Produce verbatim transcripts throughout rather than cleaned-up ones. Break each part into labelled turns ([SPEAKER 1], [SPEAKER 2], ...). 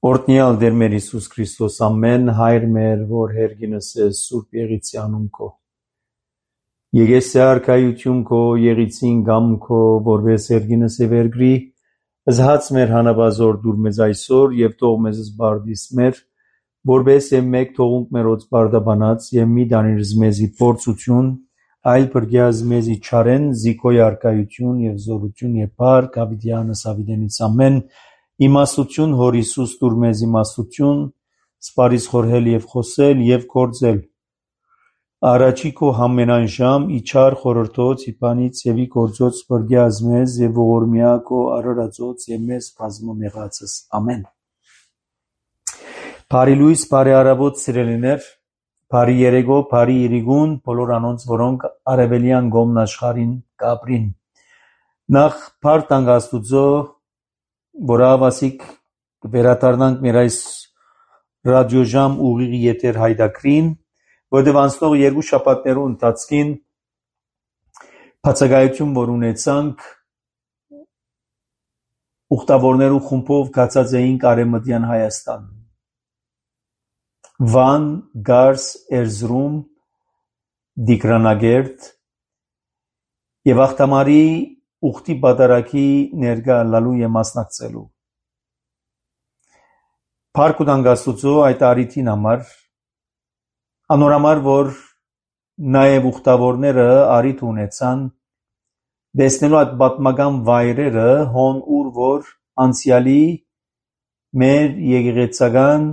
[SPEAKER 1] Օրհնյալ Տեր մեր Հիսուս Քրիստոս, ամեն հայր մեր, որ հերգինս ես Սուրբ Եղիցյանում քո։ Եկես արքայություն քո, եղիցին գամ քո, որպես հերգինս է վերգրի, զհաց մեր հանապազոր դուր մեզ այսօր եւ թող մեզ զբարդիս մեր, որպես է մեկ թողունք մերոց բարդաբանած եւ մի դանիրս մեզի փորձություն, այլ բրգյազ մեզի չարեն, զիքոյ արքայություն եւ զորություն եւ բար, կավիդյանս ավիդենից ամեն իմաստություն հոր Հիսուս դուր մեզ իմաստություն, սպարիս խորհել եւ խոսել եւ գործել։ Առաջի քո համենայն ժամ իչար խորհրդոց իբանից եւ ի գործոց բրգյազ մեզ եւ ողորմյա քո արարածոց եւ մեզ բազմամեղացս։ Ամեն։ Բարի լույս, բարի առավոտ սիրելիներ, բարի երեկո, բարի իրիգուն, բոլոր անոնց, որոնք արևելյան գոմն աշխարհին կապրին։ Նախ բարդ անգաստուծո Որավասիկ վերադառնանք մեր այս ռադիոժամ ուղիղ եթեր հայդակրին, որտեղ անցնող երկու շաբաթներու ընթացքին բացակայություն որ ունեցանք ուխտավորներու խումբով կացած էինք Արևմտյան Հայաստան, Վան, Գարս, Էրզրում, Դիկրանագերտ եւ Ախտամարի ուխտի բادرակի ներկա լալու եւ մասնակցելու։ Փառք ու դանգաստուծո այդ արիթին համար, անորամար որ նաեւ ուխտավորները արիթ ունեցան, դեսնելու այդ պատմական վայրերը, հոն ուր որ անցյալի մեր եկեղեցական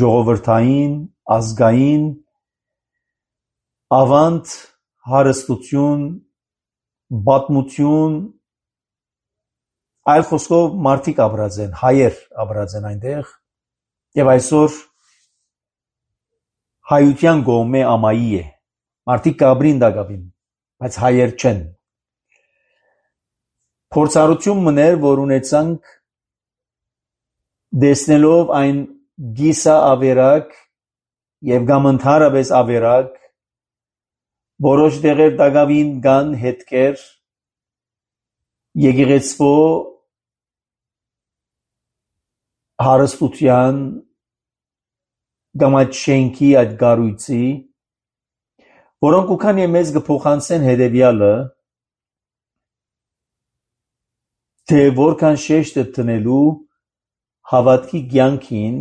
[SPEAKER 1] ժողովրդային, ազգային, ավանդ հարստություն, պատմություն, այլ խոսքով մարդիկ ապրած են, հայեր ապրած են այնտեղ եւ այսօր հայության գոմե ամայի է, մարդիկ կաբրին դակաբին, բայց հայեր չեն։ Փորձառություն մներ, որ ունեցանք դեսնելով այն գիսա ավերակ եւ կամ ընդհանրապես ավերակ որոշ դեղեր դակավին կան հետքեր եկեղեցվո հարստության կամ այդ շենքի այդ գառույցի, որոնք ուքան եւ մեզ կփոխանցեն հետեւյալը, թե որքան շեշտ է տնելու հավատքի կյանքին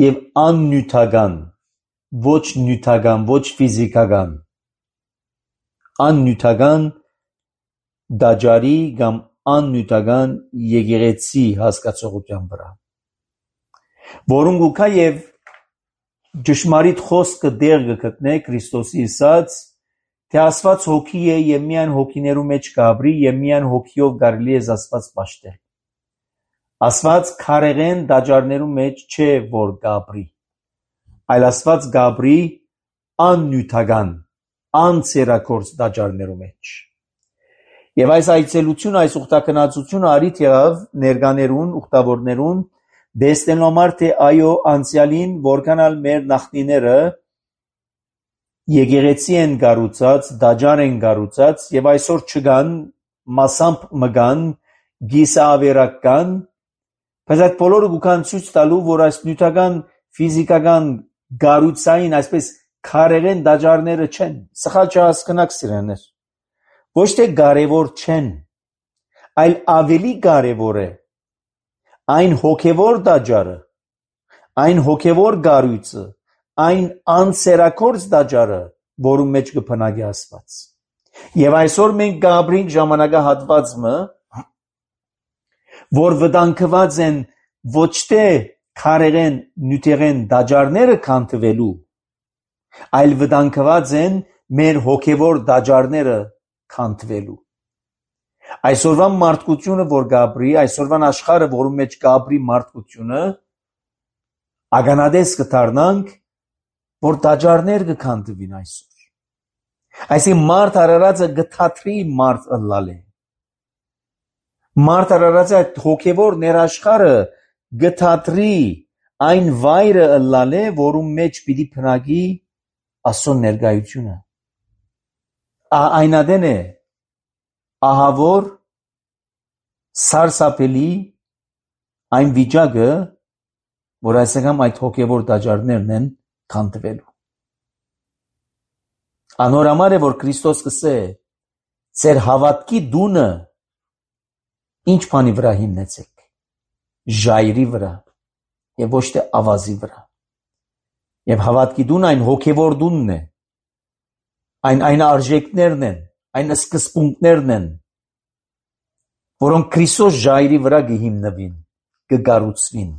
[SPEAKER 1] եւ աննյութական ոչ նյութական, ոչ ֆիզիկական, աննյութական դաջարի կամ աննյութական եկեղեցի հասկացողության վրա, որոնք ուքա եւ ճշմարիտ խոսքը դեր կգտնե Քրիստոսի ասած, թե Աստված հոգի է եւ միայն հոգիներու մեջ կաբրի եւ միայն հոգիով կարելի է Աստված պաշտել։ Աստված քարեղեն դաջարներու մեջ չէ որ կաբրի, այլ Աստված գաբրի աննյութական, անցերակորձ դաջարներու մեջ։ Եվ այս այցելությունը, այս ուխտակնածությունը արիթ եղավ ներկաներուն, ուխտավորներուն, դեսնելու համար, թե այո անցյալին, որքան ալ մեր նախնիները եկեղեցի են կառուցած, դաջար են կառուցած եւ այսօր չկան, մասամբ մգան, գիսավերակ կան, բայց այդ բոլորը կան ցույց տալու, որ այս նյութական, ֆիզիկական գառույցային այսպես քարերեն դաջարները չեն, սխալ չհասկնաք սիրելիներ, ոչ թե կարևոր չեն, այլ ավելի կարևոր է այն հոգևոր դաջարը, այն հոգևոր գառույցը, այն անցերակորձ դաջարը, որում մեջ կփնագի Աստված։ Եվ այսօր մենք կապրենք ժամանակահատվածը, որ վտանգված են ոչ թե քարերեն նյութերեն դաջարները քանթվելու, այլ վտանգված են մեր հոգևոր դաջարները քանթվելու։ Այսօրվան մարդկությունը, որ կապրի, այսօրվան աշխարհը, որում մեջ կապրի մարդկությունը, ագանադես կդառնանք, որ դաջարներ կքանթվին այսօր։ Այսինքն մարդ արարածը գթաթրի մարդ ըլլալ է։ Մարդ արարածը այդ հոգևոր ներաշխարը գթաթրի այն վայրը ըլլալ է, որում մեջ պիտի փնագի Աստծո ներկայությունը։ Այնադեն է ահավոր, սարսափելի, այն վիճակը, որ այսօր այդ հոգևոր տաճարներն են քանդվելու։ Անորամար է, որ Քրիստոս կսե ձեր հավատքի դունը ինչ բանի վրա հիմնեցեք, ժայռի վրա եւ ոչ թե ավազի վրա։ Եվ հավատքի դունը այն հոգևոր դունն է, այն այն արժեքներն են, այն սկզբունքներն են, որոնք Քրիստոս ժայռի վրա կհիմնվին, կգառուցվին,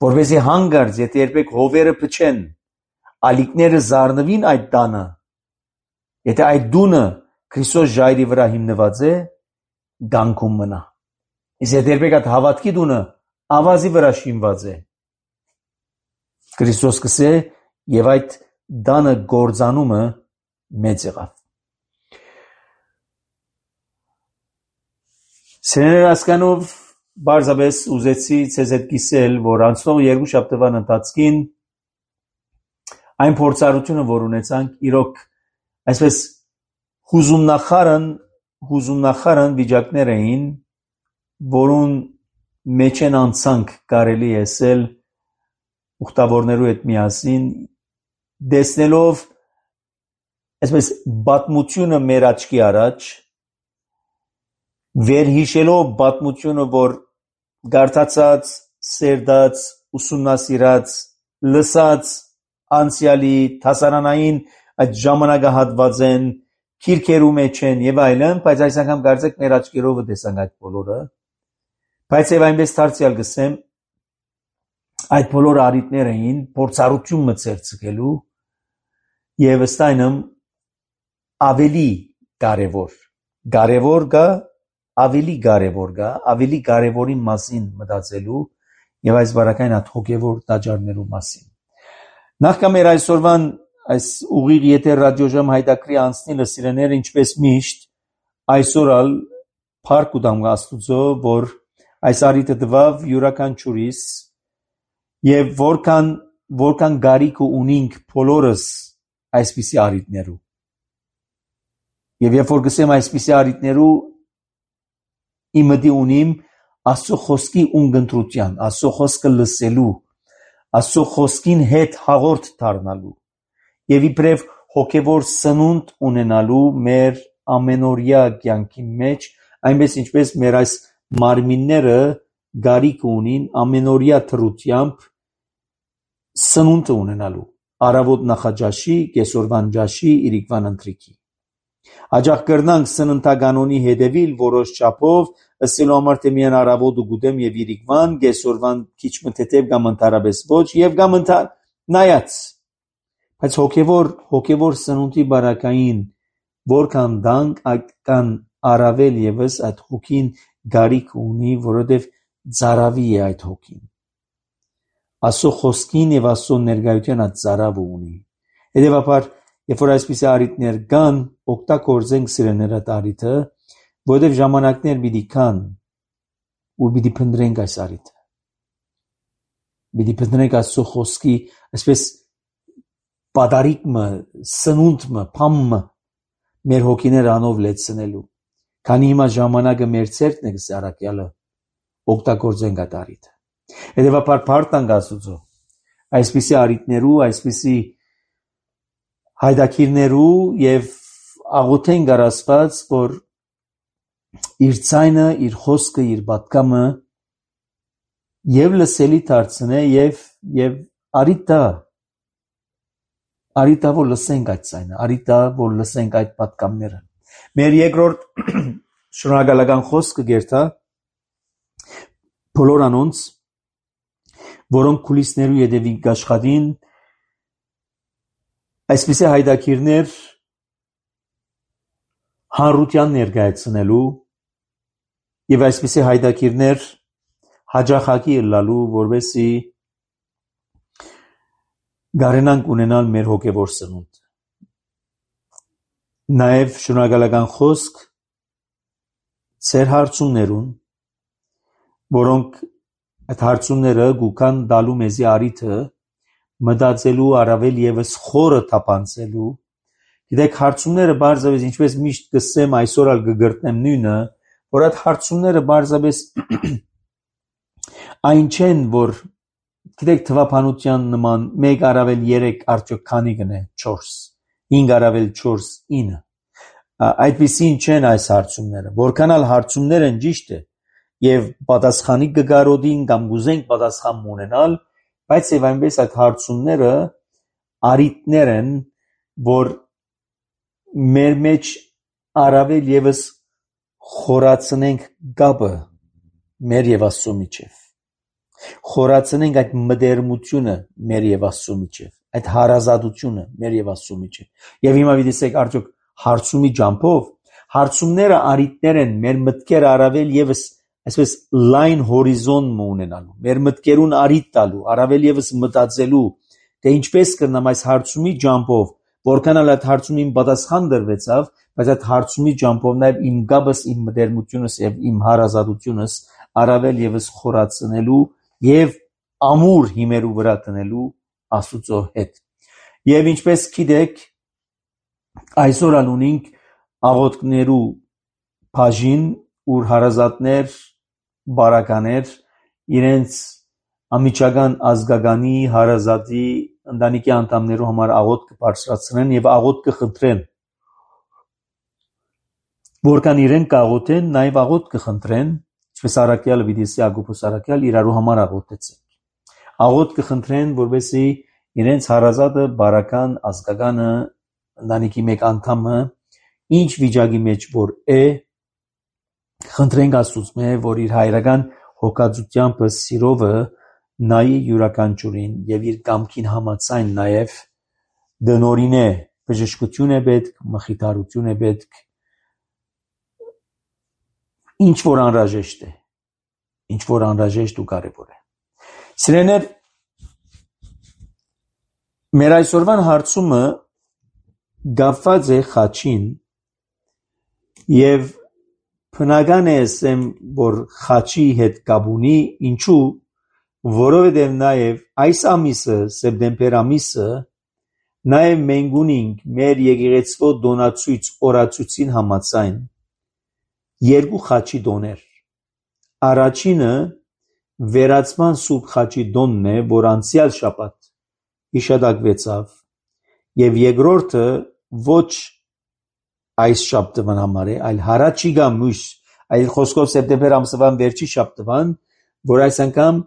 [SPEAKER 1] որովհետեւ հանգարց եթե երբեք հովերը փչեն, ալիքները զառնվին այդ տանը, եթե այդ դունը Քրիստոս ժայռի վրա հիմնված է, գանքում մնա։ Իսկ եթե երբեք այդ հավատքի դունը ավազի վրա շինված է, Քրիստոս կսե եւ այդ դանը գործանումը մեծ եղավ։ Սերներ հասկանով բարձրապես ուզեցի ցեզ հետ կիսել, որ անցնող երկու շաբթվան ընթացքին այն փորձառությունը, որ ունեցանք, իրոք այսպես հուզումնախարն հուզումնախարն վիճակներ էին, որուն մեջ են անցանք կարելի ասել ուխտավորներու հետ միասին, դեսնելով այսպես պատմությունը մեր աչքի առաջ, վերհիշելով պատմությունը, որ գարթացած, սերդած, ուսումնասիրած, լսած անցյալի հասարանային այդ ժամանակահատված են, քիրքերու մեջ են եւ այլն, բայց այս անգամ կարծեք մեր աչքերով տեսանք այդ բոլորը, բայց եւ այնպես դարձյալ գսեմ, այդ բոլոր արիտներ էին փորձառություն մցերցկելու եւ ըստայնմ ավելի կարևոր, կարևոր գա, ավելի կարևոր գա, ավելի կարևորի մասին մտածելու եւ այս բարակային այդ հոգեվոր տաճարներու մասին։ Նախքան մեր այսօրվան այս ուղիղ եթե ռադիոժամ հայտակրի անցնելը սիրեները ինչպես միշտ այսօրալ փառք ու դամ Աստուծո, որ այս արիտը տվավ յուրաքանչյուրիս եւ որքան որքան գարիք ունենք բոլորս այսպիսի արիտներու։ Եվ երբ որ գսեմ այսպիսի արիտներու իմդի ունիմ Աստծո խոսքի ունգընտրության, Աստծո խոսքը լսելու, Աստծո խոսքին հետ հաղորդ դառնալու եւ իբրև հոգեվոր սնունդ ունենալու մեր ամենօրյա կյանքի մեջ, այնպես ինչպես մեր այս մարմինները գարիք ունին ամենօրյա թրությամբ սնունդ ունենալու, արավոտ նախաճաշի, կեսօրվան ճաշի, իրիկվան ընթրիքի։ Աջախ կրնանք սննդականոնի հետևիլ որոշ չափով, ըսելու համար թե միայն արավոտ ու գուդեմ եւ իրիկվան, կեսօրվան քիչ մթեթև կամ ընդհանրապես ոչ եւ կամ նայած։ Բայց հոգեվոր հոգեվոր սնունդի բարակային որքան դանք այդքան առավել եւս այդ հոգին գարիք ունի, որովհետեւ ծարավի է այդ հոգին։ Աստծո խոսքին եւ Աստծո ներկայության այդ ծարավը ունի։ Հետեւաբար, երբ որ այսպիսի արիտներ կան, օգտագործենք սիրեները տարիթը, որովհետեւ ժամանակներ պիտի կան, ու պիտի փնտրենք այս արիտը։ Պիտի փնտրենք Աստծո խոսքի, այսպես պատարիկը, սնունդը, փամը մեր հոգիները անով լեցնելու։ Քանի հիմա ժամանակը մեր ցերտն է գսարակյալը, օգտագործենք այդ արիտը։ Հետևաբար փառտանք Աստուծո այսպիսի արիտներու, այսպիսի հայդակիրներու եւ աղոթենք Աստված, որ իր ցայնը, իր խոսքը, իր պատկամը եւ լսելի դարձնե եւ եւ արիտա արիտա որ լսենք այդ ցայնը, արիտա որ լսենք այդ պատկամները։ Մեր երկրորդ շնորհակալական խոսքը գերտա բոլոր անոնց, որոնք քուլիսներու յետևին կաշխատին, այսպիսի հայդակիրներ հանրության ներկայացնելու եւ այսպիսի հայդակիրներ հաջախակի ըլլալու, որովհետեւ գարենանք ունենալ մեր հոգեվոր սնունդ։ Նաեւ շնորհակալական խոսք ծեր հարցումներուն, որոնք այդ հարցումները գուքան դալու մեզի արիթը մտածելու առավել եւս խորը թափանցելու։ Գիտեք, հարցումները բարձրապես ինչպես միշտ կսեմ այսօր ալ կգրտնեմ նույնը, որ այդ հարցումները բարձրապես Այն չեն, որ գիտեք թվափանության նման մեկ առավել երեք արդյոք քանի կնե չորս, հինգ առավել չորս ինը։ Այդպիսին չեն այս հարցումները, որքանալ հարցումներ են ճիշտ է եւ պատասխանի կգարոդին կամ գուզենք պատասխան ունենալ, բայց եւ այնպես այդ հարցումները արիտներ են, որ մեր մեջ առավել եւս խորացնենք գաբը մեր եւ Աստծո միջեւ, խորացնենք այդ մտերմությունը մեր եւ Աստծո միջեւ, այդ հարազատությունը մեր եւ Աստծո միջեւ։ Եվ հիմա դիտեք արդյոք հարցումի ջամփով հարցումները արիտներ են մեր մտքերը առավել եւս այսպես լայն հորիզոն ունենալու, մեր մտքերուն արիտ տալու, առավել եւս մտածելու, թե ինչպես կնամ այս հարցումի ջամփով, որքանալ այդ հարցումին պատասխան դրվեցավ, բայց այդ հարցումի ջամփով նաեւ իմ գաբս, իմ մտերմությունս եւ իմ հարազատությունս առավել եւս խորացնելու եւ ամուր հիմերու վրա տնելու Աստծո հետ։ Եվ ինչպես գիտեք, այսօր անունինք աղոթքներու բաժին, ուր հարազատներ, բարականեր իրենց ամիջական ազգականի հարազատի ընտանիքի անդամներու համար աղոթք կբարձրացնեն եւ աղոթք կխնդրեն, որքան իրեն կաղոթեն, նաեւ աղոթք կխնդրեն, ինչպես Արաքյալը վիդեսի Ագոփոս Արաքյալ իրարու համար աղոթեցին, աղոթք կխնդրեն, որովհետեւ իրենց հարազատը, բարական, ազգականը, ընտանիքի մեկ անդամը ինչ վիճակի մեջ որ է, խնդրենք Աստծո, որ իր հայրական հոգածությամբ սիրովը նայի յուրաքանչյուրին եւ իր կամքին համաձայն նաեւ դնորինե բժշկություն է պետք, մխիթարություն է պետք, ինչ որ անհրաժեշտ է, ինչ որ անհրաժեշտ ու կարեւոր է։ Սիրելիներ, մեր այսօրվան հարցումը գապված է խաչին եւ բնական է ասեմ, որ խաչի հետ կապ ունի, ինչու, որովհետեւ նաեւ այս ամիսը, սեպտեմբեր ամիսը, նաեւ մենք ունենք մեր եկեղեցվո դոնացույց օրացույցին համաձայն երկու խաչի դոներ։ Առաջինը վերացման սուրբ խաչի դոնն է, որ անցյալ շաբաթ հիշատակվեցավ, եւ երկրորդը ոչ այս շաբթվան համար է, այլ հարաճիգա մյուս, այլ խոսքով սեպտեմբեր ամսվան վերջի շաբթվան, որ այս անգամ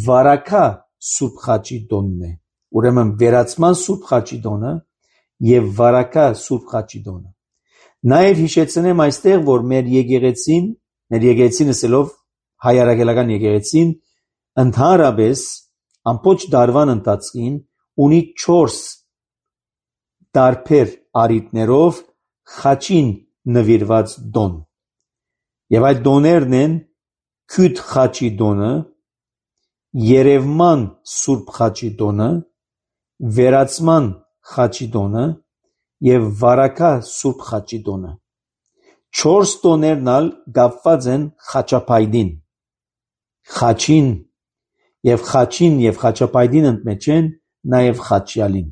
[SPEAKER 1] վարակա սուրբ խաչի դոնն է։ Ուրեմն վերացման սուրբ խաչի դոնը եւ վարակա սուրբ խաչի դոնը։ Նաեւ հիշեցնեմ այստեղ, որ մեր եկեղեցին, մեր եկեղեցին ասելով հայ արաքելական եկեղեցին, ընդհանրապես ամբողջ դարվան ընթացքին ունի չորս տարբեր արիտներով խաչին նվիրված դոն։ Եվ այդ դոներն են քյութ խաչի դոնը, երևման սուրբ խաչի դոնը, վերացման խաչի դոնը եւ վարակա սուրբ խաչի դոնը։ Չորս դոներն ալ կապված են խաչապայդին, խաչին եւ խաչին եւ խաչապայդին ընդմեջ են նաեւ խաչյալին,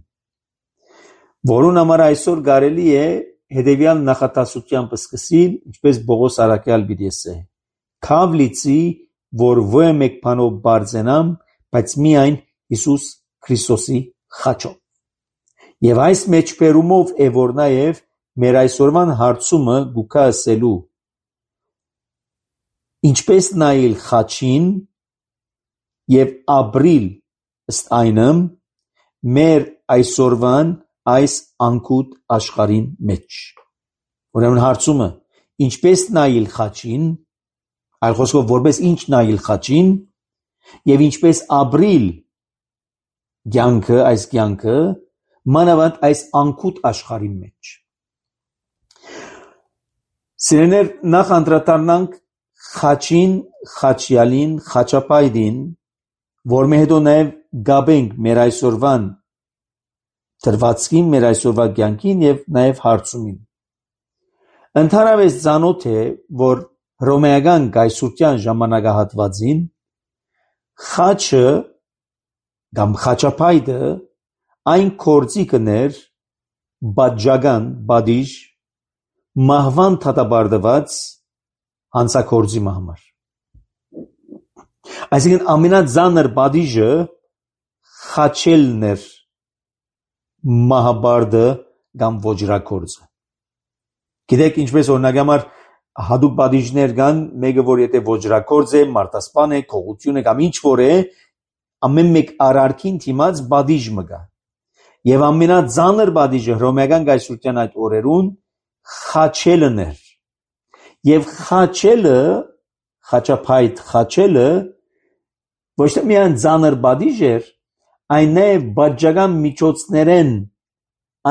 [SPEAKER 1] որուն համար այսօր կարելի է հետեւյալ նախատասությամբ սկսել, ինչպես Պողոս Արաքյալ պիտի ասե. «Քավ լիցի, որ ոչ մեկ բանով բարձենամ, բայց միայն Հիսուս Քրիստոսի խաչով»։ Եվ այս մեջբերումով է որ նաեւ մեր այսօրվան հարցումը գուքա ասելու. ինչպես նայել խաչին եւ ապրիլ ըստ այնմ մեր այսօրվան այս անկուտ աշխարհին մեջ։ Ուրեմն հարցումը ինչպես նայել խաչին, այլ խոսքով որպես ինչ նայել խաչին եւ ինչպես ապրիլ կյանքը, այս կյանքը մանավանդ այս անկուտ աշխարհի մեջ։ Սիրելիներ, նախ անդրադառնանք խաչին, խաչյալին, խաչապայդին, որ մենք հետո նաև գաբենք մեր այսօրվան դրվածքին, մեր այսօրվա կյանքին եւ նաև հարցումին։ Ընդհանրապես ցանոթ է, որ հռոմեական կայսրության ժամանակահատվածին խաչը կամ խաչապայդը այն գործիքն էր բաժական, բադիժ, մահվան դատապարտված հանցագործի համար։ Այսինքն ամենածանր պատիժը խաչելն էր մահաբարդը կամ ոճրագործը։ Գիտեք ինչպես օրինակ համար հատուկ պատիժներ կան, մեկը որ եթե ոճրագործ է, մարտասպան է, քողություն է կամ ինչ որ է, ամեն մեկ արարքին դիմաց պատիժ մգա։ Եվ ամենածանր պատիժը հռոմեական կայսրության այդ օրերուն խաչելն էր։ Եվ խաչելը, խաչափայտ խաչելը ոչ թե միայն ծանր պատիժ էր, այն նաև բաժական միջոցներեն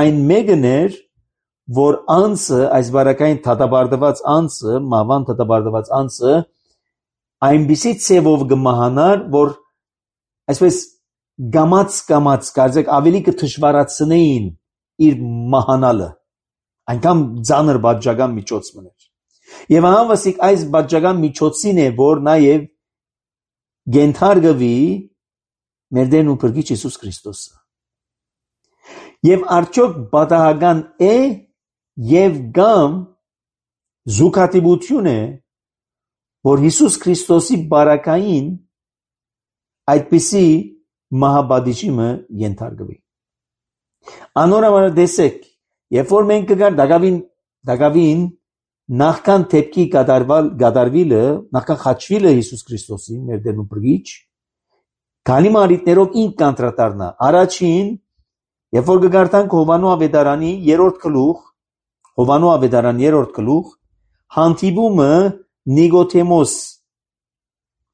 [SPEAKER 1] այն մեկն էր, որ անձը, այս բարակային դատապարտված անձը, մահվան դատապարտված անձը այնպիսի ցևով կմահանար, որ այսպես գամած գամած կարծեք ավելի կդժվարացնեին իր մահանալը, այնքան ծանր բաժական միջոց մներ։ Եվ անվասիկ այս բաժական միջոցին է, որ նաև գենթարգվի մեր Տերն ու Փրկիչ Հիսուս Քրիստոսը։ Եվ արդյոք պատահական է եւ կամ զուգադիպություն է, որ Հիսուս Քրիստոսի բարակային այդպիսի մահապատիժը ենթարկվի։ Անորոշ տեսեք, երբ որ մենք կգար դակավին դակավին նախքան դեպքի կատարվալ կատարվելը, նախքան խաչվելը Հիսուս Քրիստոսի մեր Տերն ու Փրկիչ, քանի մարիտներով ինք կանտրատարնա։ Առաջին, երբ որ կգարտանք Հովանու ավետարանի երրորդ գլուխ, Հովանու ավետարան երրորդ գլուխ, հանդիպումը Նիկոդեմոս,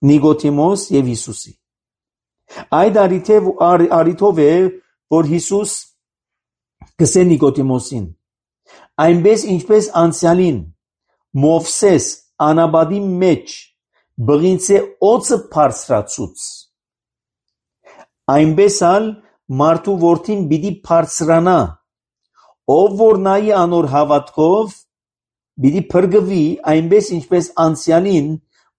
[SPEAKER 1] Նիկոդեմոս եւ Հիսուսի։ Այդ արիթով է, որ Հիսուս կսե Նիկոդեմոսին, այնպես ինչպես անցյալին Մովսես անաբադի մեջ բղինցե օծը բարձրացուց, այնպես ալ մարդու որդին պիտի բարձրանա, ով որ նայի անոր հավատքով պիտի փրկվի, այնպես ինչպես անցյալին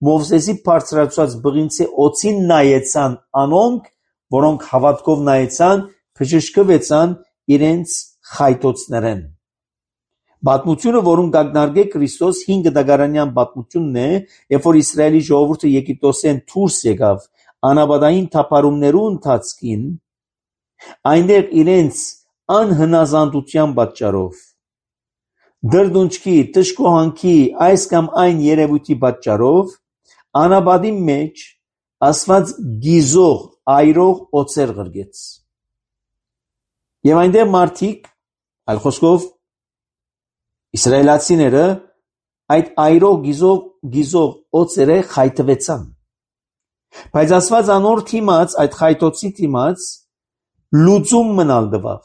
[SPEAKER 1] Մովսեսի բարձրացած բղինցե օծին նայեցան անոնք, որոնք հավատքով նայեցան, բժշկվեցան իրենց խայտոցներեն։ Պատմությունը, որում կակնարկե Քրիստոս հինգ դագարանյան պատմությունն է, երբ որ Իսրայելի ժողովուրդը Եգիպտոսեն դուրս եկավ անաբադային թափառումներու ընթացքին, այնտեղ իրենց անհնազանդության պատճառով, դրդունչքի, տշկոհանքի, այս կամ այն երևույթի պատճառով, անաբադի մեջ ասված գիզող, այրող օծեր ղրգեց։ Եվ այնտեղ մարդիկ, այլ խոսքով, իսրայելացիները այդ այրող գիզող, գիզող օծերը խայտվեցան։ Բայց ասված անոր թիմաց, այդ խայտոցի թիմաց, լուծում մնալ դվավ,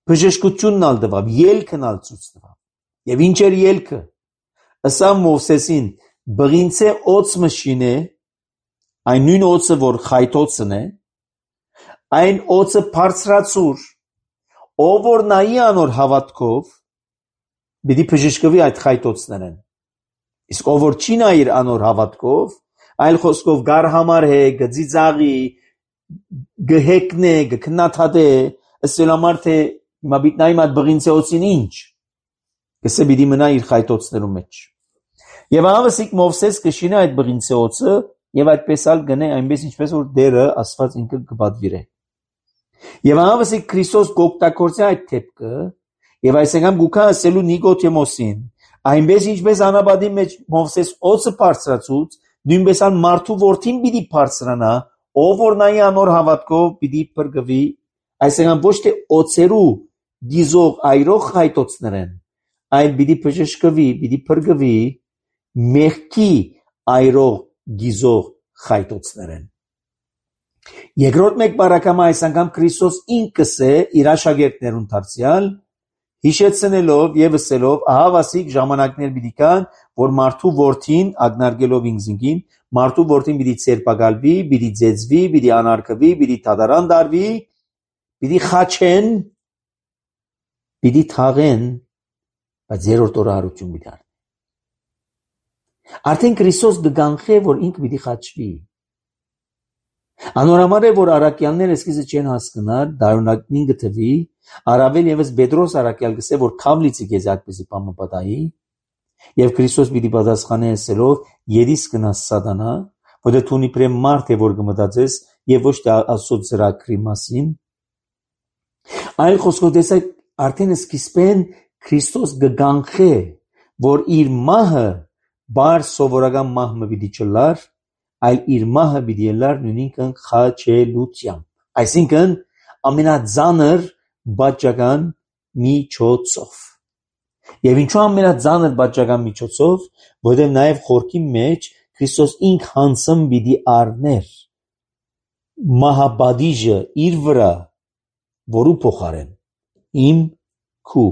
[SPEAKER 1] բժշկությունն ալ դվավ, ելքն ալ ցույց տվավ։ Եվ ինչ էր ելքը։ Ըսա Մովսեսին բղինցե օծ մշին է, այն նույն օծը, որ խայտոցն է, այն օծը բարձրացուր, ով որ նայի անոր հավատքով, պիտի բժշկվի այդ խայտոցներեն։ Իսկ ով որ չի նայիր անոր հավատքով, այլ խոսքով գար համար է, գծիծաղի, գհեկնե, գքնաթադե, ըսել համար թե հիմա պիտի նայեմ այդ բղինցե օծին ինչ, կսե պիտի մնա իր խայտոցներու մեջ։ Եվ ավասիկ Մովսես կշինե այդ բղինցե օծը եւ այդպես ալ գնե այնպես ինչպես որ Տերը ասված ինքը կպատվիրե։ Եվ ավասիկ Քրիստոս գոկտակորձե այդ թեփքը եւ այսինքն գուքա ասելու Նիկոդեմոսին, այնպես ինչպես անաբադի մեջ Մովսես օծը բարձրացուց, նույնպես ալ մարդու որդին պիտի բարձրանա, ով որ նայի անոր հավատքով պիտի փրկվի, այսինքն ոչ թե օծերու դիզող այրող խայտոցներեն, այլ պիտի բժշկվի, պիտի փրկվի մեղքի այրող գիզող խայտոցներեն։ Երկրորդ մեկ բարակամա այս անգամ Քրիստոս ինքս է իր աշակերտներուն դարձյալ հիշեցնելով եւ ասելով, ահա վասիկ ժամանակներ պիտի կան, որ մարդու որդին ագնարկելով ինքզինքին, մարդու որդին պիտի ցերպակալվի, պիտի ձեծվի, պիտի անարգվի, պիտի դատարան դարվի, պիտի խաչեն, պիտի թաղեն, բայց երրորդ օրը հարություն պիտի առնի։ Արդեն Քրիստոս կգանխե, որ ինքը պիտի խաչվի։ Անորամար է, որ առաքյալները սկիզբը չեն հասկնար, դարունակին գտվի, առավել եւս Պետրոս առաքյալ գսե, որ քավլիցի քեզ այդպեսի բան մտայի, եւ Քրիստոս պիտի պատասխանի ասելով, «Երիս կնաս սատանա, որ դու նիպրեմ մարդ է որ կմտածես եւ ոչ թե Աստծո ծրագրի մասին այլ խոսքով տեսեք արդեն սկիզբեն Քրիստոս գգանխե որ իր մահը բար սովորական մահը պիտի չլար այլ իր մահը պիտի լար նույնիսկ խաչելությամբ այսինքն ամենածանր բաճական միջոցով եւ ինչու ամենածանր բաճական միջոցով որովհետեւ նաեւ խորքի մեջ Քրիստոս ինք հանցում պիտի առներ մահապատիժը իր վրա որու փոխարեն իմ քու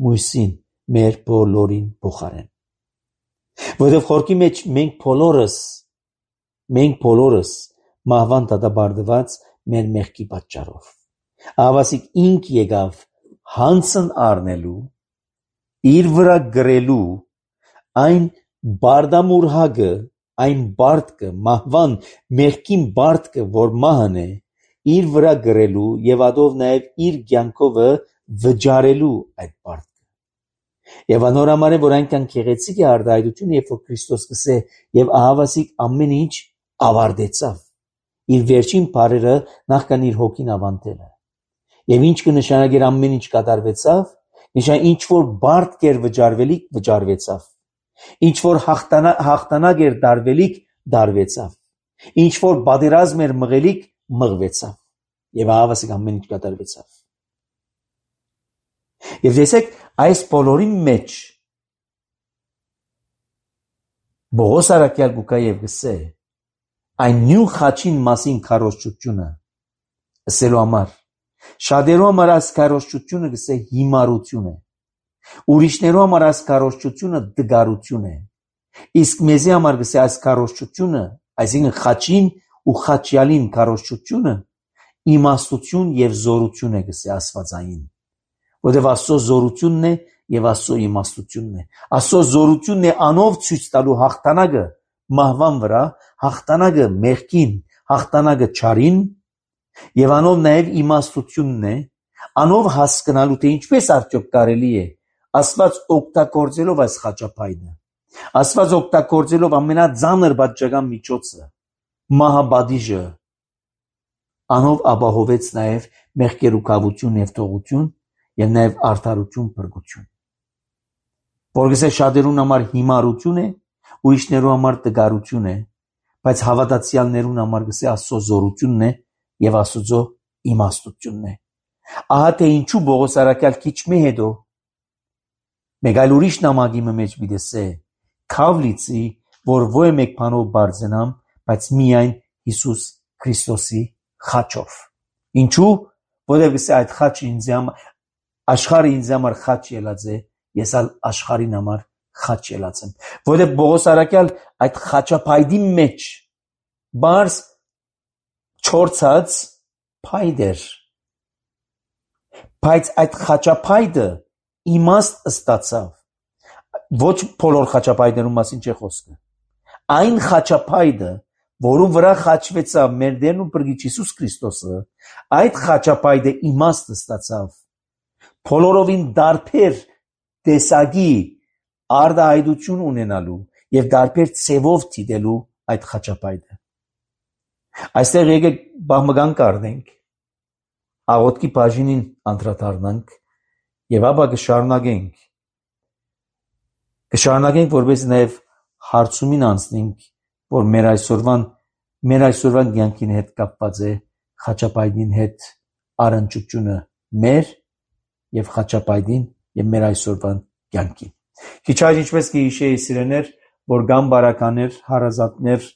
[SPEAKER 1] մույսին մեր բոլորին փոխարեն որովհետեւ խորքի մեջ մենք բոլորս մենք բոլորս մահվան դատապարտված մեր մեղքի պատճառով ավասիկ ինք եկավ հանցն առնելու իր վրա գրելու այն բարդամուրհագը այն բարդկը մահվան մեղքին բարդկը որ մահն է իր վրա գրելու եւ ադով նաեւ իր կյանքովը վճարելու այդ բարդկը եւ անորամար է որ այնքան քեղեցիկ է արտահայտությունը երբ որ Քրիստոս կսե եւ ահավասիկ ամեն ինչ ավարտեցավ իր վերջին բարերը նախքան իր հոգին ավանդելը եւ ինչ կնշանակեր ամեն ինչ կատարվեցավ նշան ինչ որ բարդ կեր վճարվելիք վճարվեցավ ինչ որ հաղթանակ էր դարվելիք դարվեցավ ինչ որ պատերազմ էր մղելիք մղվեցավ եւ ահավասիկ ամեն ինչ կատարվեցավ եւ տեսեք այս բոլորի մեջ Բողոս արաքյալ գուկա եւ գսե այն նույն խաչին մասին քարոզչությունը ասելու համար շատերու համար այս քարոզչությունը գսե հիմարություն է ուրիշներու համար այս քարոզչությունը դգարություն է իսկ մեզի համար գսե այս քարոզչությունը այսինքն խաչին ու խաչյալին քարոզչությունը իմաստություն եւ զորություն է գսե աստվածային որովհետեւ Աստծո զորությունն է եւ Աստծո իմաստությունն է Աստծո զորությունն է անով ցույց տալու հաղթանակը մահվան վրա հաղթանակը մեղքին հաղթանակը չարին եւ անով նաեւ իմաստությունն է անով հասկանալու թե ինչպես արդյոք կարելի է Աստված օգտագործելով այս խաչապայդը Աստված օգտագործելով ամենածանր բաժական միջոցը մահապատիժը անով ապահովեց նաեւ մեղքերու կավություն եւ թողություն եւ նաեւ արդարություն բրգություն որովհետեւ շատերուն համար հիմարություն է ուրիշներու համար տգարություն է բայց հավատացյալներուն համար գսե Աստծո զորությունն է եւ Աստծո իմաստությունն է ահա թե ինչու Բողոս արաքյալ քիչ մի հետո մեկ այլ ուրիշ նամակի մեջ դիտեսե քավլիցի որ ո մեկ բանով բարձենամ բայց միայն Հիսուս Քրիստոսի խաչով ինչու որովհետեւ գսե այդ խաչը ինձ համար աշխարհը ինձ համար խաչ ելած է ես ալ աշխարհին համար խաչ ելած եմ որովհետեւ Բողոս արաքյալ այդ խաչապայդի մեջ բարձ չորցած փայդեր բայց այդ խաչապայդը իմաստ ստացավ ոչ բոլոր խաչապայդերու մասին չէ խոսքը այն խաչապայդը որու վրա խաչվեցավ մեր Տերն ու Փրկիչ Հիսուս Քրիստոսը այդ խաչապայդը իմաստ ստացավ բոլորովին դարբեր տեսակի արտահայտություն ունենալու եւ դարբեր ցևով դիտելու այդ խաչապայդը այստեղ եկեք բաղմգան կառնենք աղոթքի բաժինին անդրադառնանք եւ ապա կշարունակենք կշարունակենք որպես նաեւ հարցումին անցնենք որ մեր այսօրվան մեր այսօրվան կյանքին հետ կապված է խաչապայդին հետ առնչությունը մեր եւ խաչապայդին եւ մեր այսօրվան կյանքին քիչ այլ ինչպես կհիշեի սիրեներ որ գամ բարականներ հարազատներ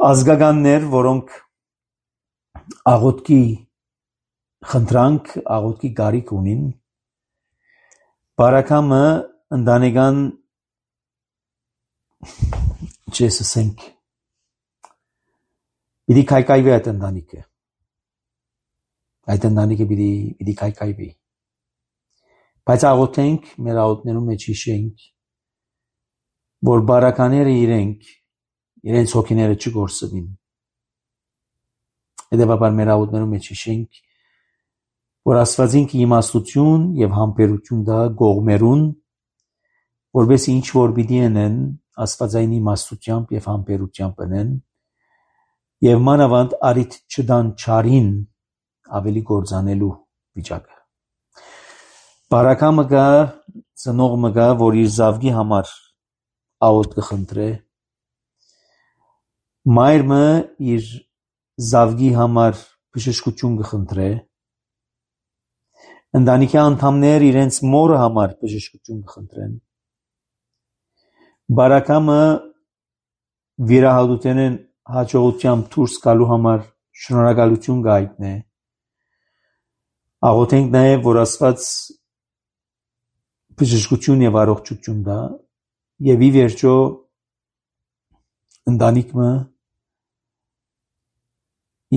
[SPEAKER 1] ազգականներ որոնք աղոթքի խնդրանք աղոթքի գարիք ունին բարակամը ընտանեկան չես ասենք պիտի կայկայվի այդ ընտանիքը այդ ընտանիքը պիտի պիտի կայկայվի բայց աղոթենք մեր աղոթներու մեջ հիշենք որ բարակաները իրենք իրենց հոգիները չգործվին հետևաբար մեր աղոթներու մեջ հիշենք որ Աստվածին իմաստություն եւ համբերություն դա գողմերուն որովհետեւ ինչ որ պիտի անեն աստվածային իմաստությամբ եւ համբերությամբ ընեն եւ մանավանդ արիթ չդան չարին ավելի գործանելու վիճակը։ Բարակամը գա, ծնողը գա, որ իր զավգի համար աղոտ կխնդրե, մայրը իր զավգի համար բժշկություն կխնդրե, ընտանիքի անդամներ իրենց մորը համար բժշկություն կխնդրեն, բարակամը վիրահատութենեն հաջողությամբ դուրս գալու համար շնորհակալություն կհայտնե, աղոթենք նաև, որ Աստված բժշկություն եւ առողջություն տա եւ ի վերջո ընտանիքը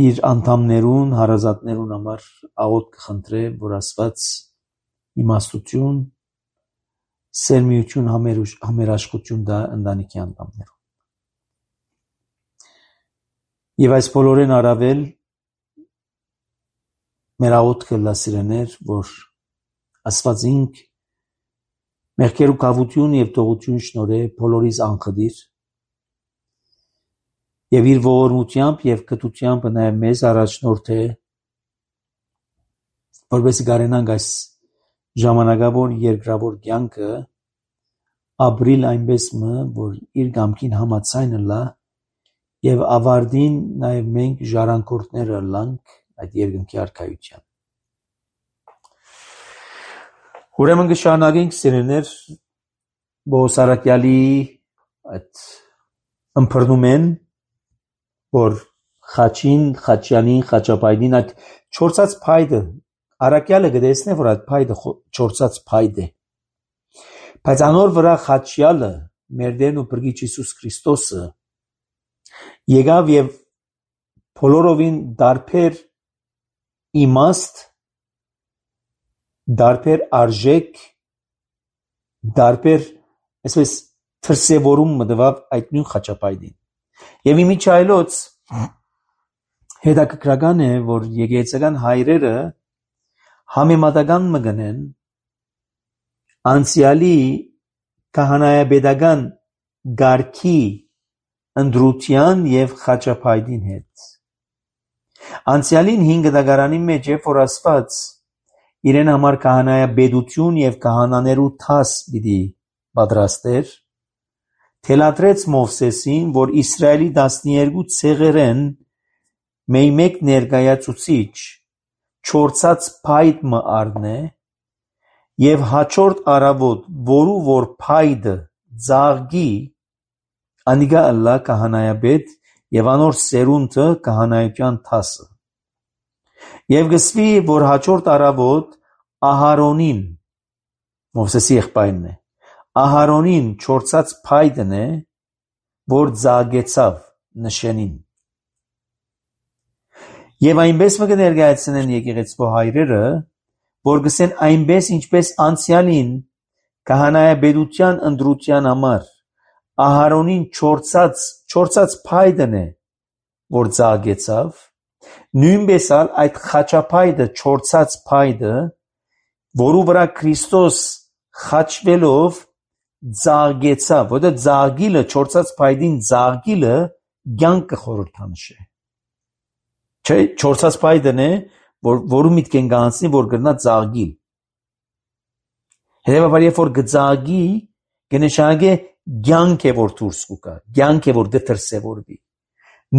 [SPEAKER 1] իր անդամներուն, հարազատներուն համար աղոտ կխնդրե, որ Աստված իմաստություն, սերմիություն, համերաշխություն տա ընտանիքի անդամներուն։ Եվ այս բոլորեն առավել մեր աղոթքը լասիրեներ, որ Աստված ինք մեղքեր ու կավություն եւ տողություն շնորհե բոլորիս անխդիր եւ իր ողորմությամբ եւ կտությամբ նաեւ մեզ առաջնորդե, որպեսզի կարենանք այս ժամանակավոր երկրավոր կյանքը ապրիլ այնպես մը, որ իր կամքին համաձայն լա եւ ավարտին նաեւ մենք ժառանգորդները լանք այդ երկնքի արքայության։ Ուրեմն կշարունակենք սիրելիներ Բոսարակյալի այդ ըմբռնումեն, որ խաչին, խաչյանին, խաչապայդին այդ չորցած փայդը, Արաքյալը կտեսնե, որ այդ փայդը չորցած փայդ է, բայց անոր վրա խաչյալը, մեր Տերն ու Փրկիչ Հիսուս Քրիստոսը եկավ եւ բոլորովին դարբեր իմաստ, դարբեր արժեք, դարբեր, այսպես թրսևորում մտավ այդ նույն խաչապայդին։ Եվ իմիջայլոց հետաքրքրական է, որ եկեղեցական հայրերը համեմատական մգնեն անցյալի քահանայապետական գարքի ընդրության եւ խաչապայդին հետ։ Անցյալին հինգ դագարանի մեջ է, որ Աստված իրեն համար քահանայապետություն եւ քահանաներու թաս պիտի պատրաստեր, թելադրեց Մովսեսին, որ Իսրայելի տասներկու ցեղերեն մեկ ներկայացուցիչ չորցած փայդ մը առնե եւ հաջորդ առավոտ, որու որ փայդը ծաղկի, անիգա ըլլա քահանայապետ եւ անոր սերունդը քահանայության թասը։ Եվ գսվի, որ հաջորդ առավոտ Ահարոնին, Մովսեսի եղբայրն է, Ահարոնին չորցած փայդն է, որ ծաղկեցավ նշենին։ Եվ այնպես մը կներկայացնեն եկեղեցու հայրերը, որ գսեն այնպես, ինչպես անցյալին քահանայապետության ընդրության համար Ահարոնին չորցած չորցած փայդն է, որ ծաղկեցավ, նույնպես ալ այդ խաչապայդը չորցած փայդը, որու վրա Քրիստոս խաչվելով ծաղկեցավ, որտեղ ծաղկիլը չորցած փայդին ծաղկիլը կյանքը խորհրդանշ է։ Չէ, չորցած փայդն է, որ որու միտք են կանցնի, որ կրնա ծաղկիլ։ Հետևաբար երբ որ կծաղկի, կնշանակե կյանք է որ դուրս կգա, կյանք է որ դրսևորվի։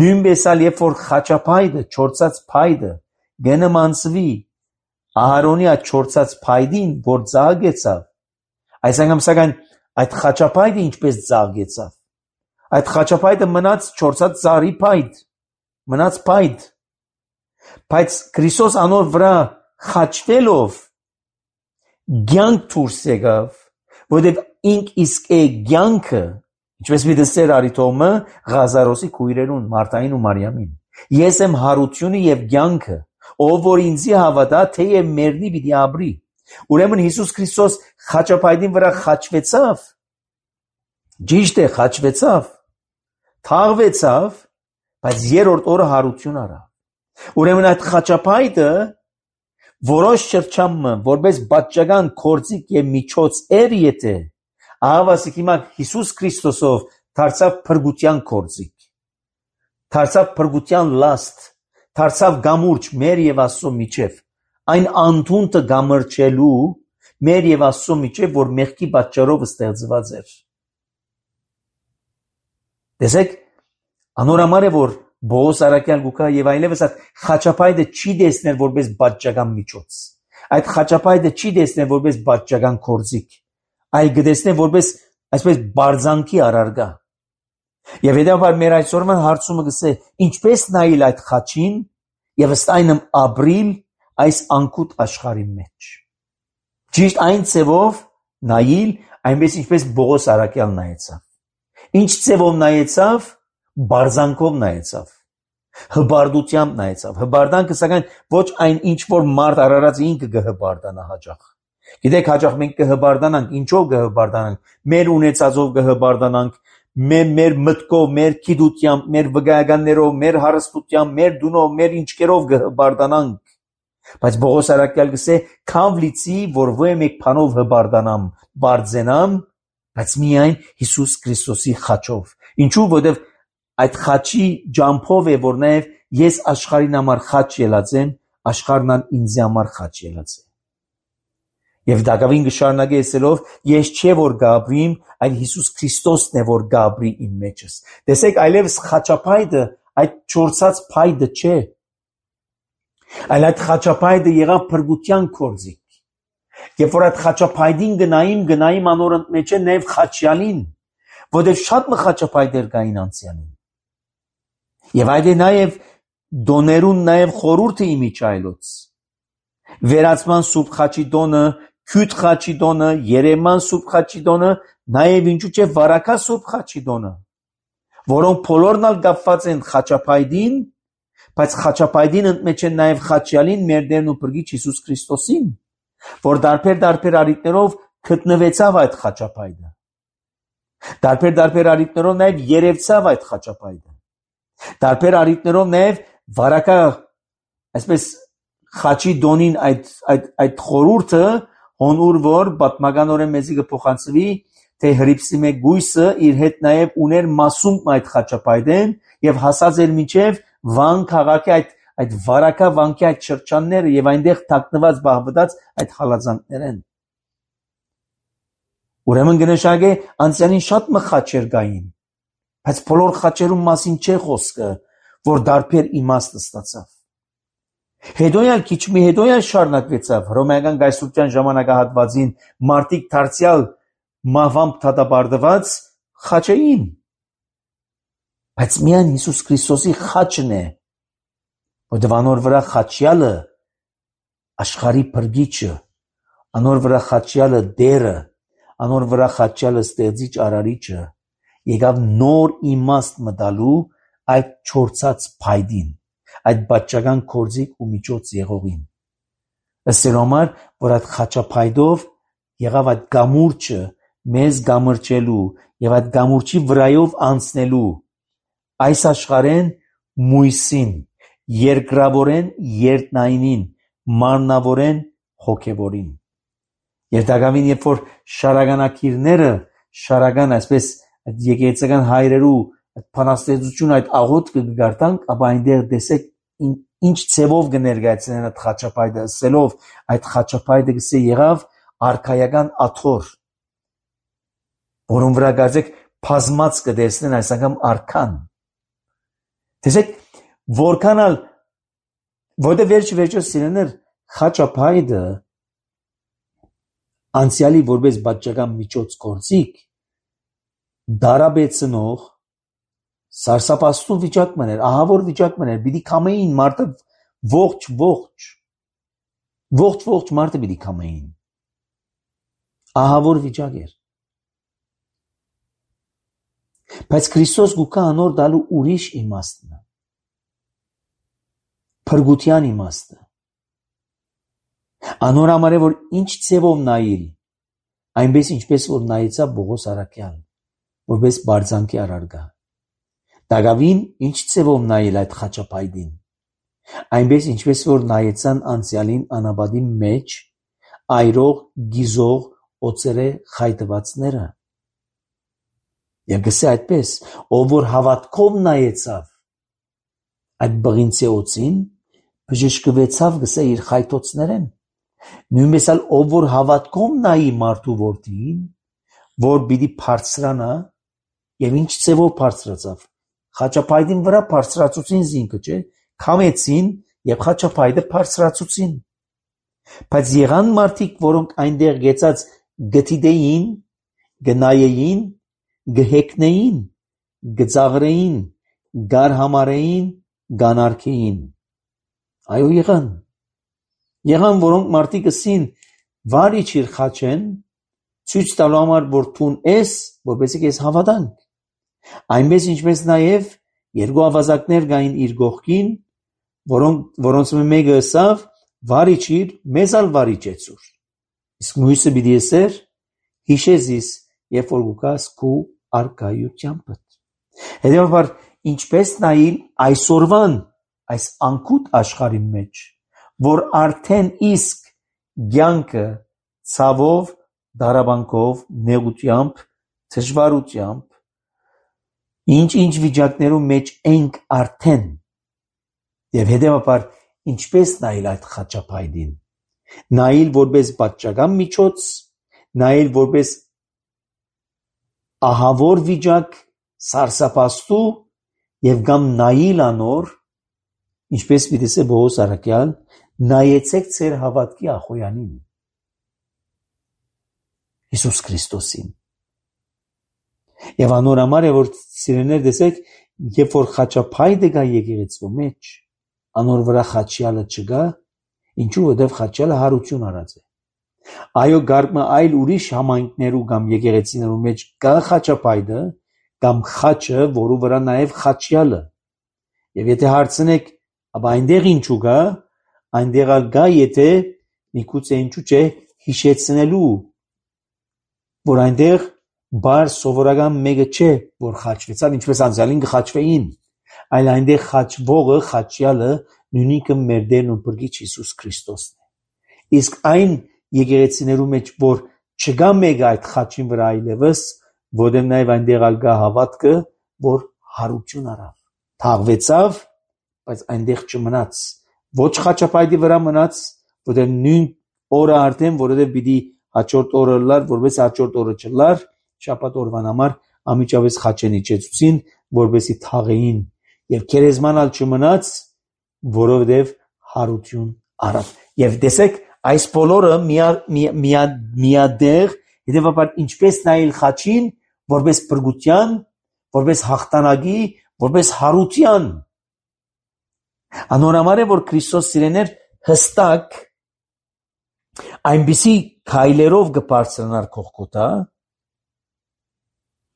[SPEAKER 1] Նույնպես ալ երբ որ խաչապայդը, չորցած փայդը կնմանցվի Ահարոնի այդ չորցած փայդին, որ ծաղկեցավ, այս անգամ սակայն այդ խաչապայդը ինչպես ծաղկեցավ, այդ խաչապայդը մնաց չորցած ծառի փայդ, մնաց փայդ, բայց Քրիստոս անոր վրա խաչվելով կյանք դուրս եկավ, որտեղ ինք իսկ է կյանքը, ինչպես մի դստեր արիթոմը Ղազարոսի քույրերուն Մարտային ու Մարիամին։ Ես եմ հարությունը եւ կյանքը, ով որ ինձի հավատա, թեև մեռնի պիտի ապրի։ Ուրեմն Հիսուս Քրիստոս խաչապայդին վրա խաչվեցավ, ճիշտ է խաչվեցավ, թաղվեցավ, բայց երրորդ օրը հարություն առավ։ Ուրեմն այդ խաչապայդը որոշ շրջանը որպես պատճական գործիք եւ միջոց էր, եթե ահավասիկ հիմա Հիսուս Քրիստոսով դարձավ փրկության կորձիկ, դարձավ փրկության լաստ, դարձավ գամուրջ մեր եւ Աստծո միջև, այն անդունտը գամրջելու մեր եւ Աստծո միջև, որ մեղքի պատճառով ստեղծված էր։ Տեսեք, անորամար է, որ Բողոս Արաքյալ գուկա եւ այլևս այդ խաչապայտը չի տեսնել որպես պատճական միջոց, այդ խաչապայտը չի տեսնել որպես պատճական կորձիկ, այլ գտեսնել որպես այսպես բարձանքի առարգա։ Եվ հետևաբար մեր այսօրվա հարցումը գսե ինչպես նայել այդ խաչին եւ ըստ այնմ ապրիլ այս անկուտ աշխարհի մեջ։ Ճիշտ այն ձևով նայել, այնպես ինչպես Բողոս Արաքյալ նայեցավ։ Ինչ ձևով նայեցավ, բարձանքով նայեցավ, հբարդությամբ նայեցավ։ Հբարդանքը սակայն ոչ այն ինչ որ մարդ արարած ինքը կհբարդանա հաճախ։ Գիտեք, հաճախ մենք կհբարդանանք, ինչով կհբարդանանք, մեր ունեցածով կհբարդանանք, մեր մեր մտքով, մեր գիտությամբ, մեր վկայականներով, մեր հարստությամբ, մեր դունով, մեր ինչկերով կհբարդանանք։ Բայց Բողոս Արաքյալ գսե քավ լիցի, որ ոյ մեկ բանով հբարդանամ, բարձենամ, բայց միայն Հիսուս Քրիստոսի խաչով։ Ինչու՞, որովհետև այդ խաչի ջամփով է, որ նաև ես աշխարհին համար խաչ ելած եմ, աշխարհն ինձ համար խաչ ելած է։ Եվ Դագավին գշարունակե ասելով, ես չէ որ գաբրիմ, այլ Հիսուս Քրիստոսն է որ գաբրի իմ մեջս։ Տեսեք, այլևս խաչապայտը այդ չորցած փայտը չէ, այլ այդ խաչապայտը եղավ փրկության կորձիկ։ Երբ որ այդ խաչապայտին գնայիմ, գնայիմ անոր մեջ է նաև խաչյալին, որտեղ շատ մը խաչապայտեր կային անցյալին։ Եվ այդ է նաև դոներուն նաև խորուրդը իմիջայլոց։ Վերացման սուրբ խաչի դոնը, քյութ խաչի դոնը, երեման սուրբ խաչի դոնը, նաև ինչու՞ չէ վարակա սուրբ խաչի դոնը, որոնք բոլորն ալ կապված են խաչապայտին, բայց խաչապայտին ընդմեջ են նաև խաչյալին մեր Տերն ու Փրկիչ Հիսուս Քրիստոսին, որ դարբեր-դարբեր արիտներով գտնվեցավ այդ խաչապայտը։ Դարբեր-դարբեր արիտներով նաև երևցավ այդ խաչապայտը։ Դարբեր արիտներով նաև վարակա, այսպես խաչի դոնին այդ այդ այդ խորուրդը հոնուր որ պատմականորեն մեզի կփոխանցվի, թե հրիփսի մեկ գույսը իր հետ նաև ուներ մասում այդ խաչապայտեն եւ հասած էր միջև Վան քաղաքի այդ այդ վարակա վանքի այդ շրջանները եւ այնտեղ թաքնված բահվտած այդ հալածանքներն։ Ուրեմն գնշագե անցյալին շատ մը խաչեր կային, բայց բոլոր խաչերում մասին չէ խոսքը, որ դարբեր իմաստ ստացավ։ Հետոյալ քիչ մի հետոյալ շարունակվեցավ հռոմեական գայսրության ժամանակահատվածին մարտիկ դարձյալ մահվամբ դատապարտված խաչեին։ Բայց միայն Հիսուս Քրիստոսի խաչն է, որտեղ անոր վրա խաչյալը աշխարհի փրկիչը, անոր վրա խաչյալը դերը, անոր վրա խաչյալը ստեղծիչ արարիչը եկավ նոր իմաստ մտալու այդ չորցած փայդին, այդ բաճական կորձիկ ու միջոց եղողին։ Ըստ համար, որ այդ խաչապայդով եղավ այդ գամուրջը մեզ գամրջելու եւ այդ գամուրջի վրայով անցնելու այս աշխարհեն մույսին, երկրավորեն երտնայինին, մարմնավորեն հոգևորին։ Եվ Դագավին, երբ որ շարագանակիրները, շարական այսպես այդ եկեղեցական հայրերու այդ փանաստեղծություն այդ աղոթքը կգարտանք, ապա այնտեղ տեսեք ինչ ցևով կներկայացնեն այդ խաչապայտը, ասելով այդ խաչապայտը գսե եղավ արքայական աթոռ, որոնց վրա գարձեք բազմած կտեսնեն այս անգամ արքան։ Տեսեք, որքանալ որտե վերջի վերջոց սիրեներ խաչապայտը անցյալի որպես բաճական միջոց կորձիկ դարաբեցնող սարսափաստու վիճակ մներ, ահավոր վիճակ մներ, պիտի կամեին մարդը ողջ ողջ ողջ ողջ մարդը պիտի կամեին, ահավոր վիճակ էր։ Բայց Քրիստոս գուկա անոր դալու ուրիշ իմաստն է, փրկության իմաստը։ Անոր համար է, որ ինչ ցևով նայել, այնպես ինչպես որ նայեցավ Բողոս Արաքյալ, որպես բարձանքի առարգա։ Դագավին ինչ ցևով նայել այդ խաչապայտին, այնպես ինչպես որ նայեցան անցյալին անաբադի մեջ այրող գիզող օծերը խայտվածները, Եվ գսե այդպես, ով որ հավատքով նայեցավ այդ բղինցի օծին, բժշկվեցավ գսե իր խայտոցներեն։ Նույնպես էլ ով որ հավատքով նայի մարդու որդին, որ պիտի բարձրանա, եւ ինչ ծևով բարձրացավ։ Խաչապայտին վրա բարձրացուցին զինքը, չէ՞, քամեցին եւ խաչապայտը բարձրացուցին։ Բայց եղան մարդիկ, որոնք այնտեղ գեցած գտիդեին, գնայեին, գհեկնեին, գծաղրեին, գարհամարեին, գանարքեին։ Այո, եղան։ Եղան, որոնք մարդիկ ասին, վարի չիր խաչեն, ցույց տալու համար, որ թուն ես, որպեսզի ես հավատանք։ Այնպես ինչպես նաև երկու ավազակներ կային իր գողքին, որոնք որոնց մեկը ասավ, վարի չիր, մեզ ալ վարի չեցուր։ Իսկ մյուսը պիտի ասեր, հիշեզիս, երբ որ գուկաս քու արկայությամբ։ Հետևաբար, ինչպես նայել այսօրվան այս անկուտ աշխարհի մեջ, որ արդեն իսկ ցանկը ցավով, դարաբանքով, նեղությամբ, դժվարությամբ, ինչ-ինչ վիճակներում մեջ ենք արդեն, եւ հետևաբար ինչպես նայել այդ խաչապայտին, նայել որպես պատճական միջոց, նայել որպես ահավոր վիճակ, սարսափաստու եւ կամ նայել անոր, ինչպես պիտի ասե Պողոս առաքյալ, նայեցեք ձեր հավատքի ախոյանին, Հիսուս Քրիստոսին։ Եվ անոր համար է, որ սիրելիներ տեսեք, երբ որ խաչապայտը գա եկեղեցու մեջ, անոր վրա խաչյալը չգա, ինչու որովհետև խաչյալը հարություն արած է։ Այո, գարկմը այլ ուրիշ համայնքներու կամ եկեղեցիներու մեջ կա խաչապայտը կամ խաչը, որու վրա նաև խաչյալը։ Եվ եթե հարցնեք, ապա այնտեղ ինչու գա, այնտեղ գա, եթե միգուցե ինչու չէ հիշեցնելու, որ այնտեղ բար սովորական մեկը չէ, որ խաչվեցավ, ինչպես անցյալին կխաչվեին, այլ այնտեղ խաչվողը, խաչյալը նույնիկը մեր Տերն ու Փրկիչ Հիսուս Քրիստոսն է։ Իսկ այն եկեղեցիներու մեջ, որ չկա մեկը այդ խաչին վրա այլևս, որտեղ նաև այնտեղ ալ գա հավատքը, որ հարություն արավ, թաղվեցավ, բայց այնտեղ չմնաց, ոչ խաչապայտի վրա մնաց, որտեղ նույն օրը արդեն, որովհետև պիտի հաջորդ օրը լար, որպես հաջորդ օրը չլար, շաբաթ օրվան համար ամիջավես խաչեն իջեցուցին, որպեսի թաղեին, եւ քերեզմանալ չմնաց, որովհետև հարություն արավ։ Եվ տեսեք, այս բոլորը միադեղ, հետևաբար ինչպես նայել խաչին, որպես բրգության, որպես հաղթանակի, որպես հարության։ Անորամար է, որ Քրիստոս սիրեներ հստակ այնպիսի քայլերով կբարձրանար Գողգոթա,